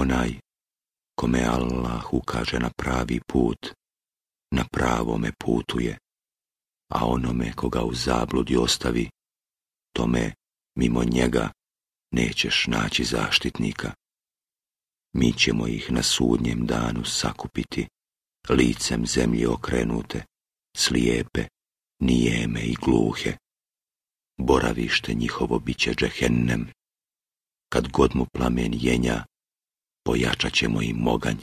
Onaj kome Allah ukaže na pravi put, na pravome putu je, a onome koga u zabludi ostavi, tome mimo njega nećeš naći zaštitnika. Mi ćemo ih na sudnjem danu sakupiti, licem zemlji okrenute, slijepe, nijeme i gluhe. Boravište njihovo biće džehennem. Kad god mu plamen jenja, pojačat ćemo im oganj.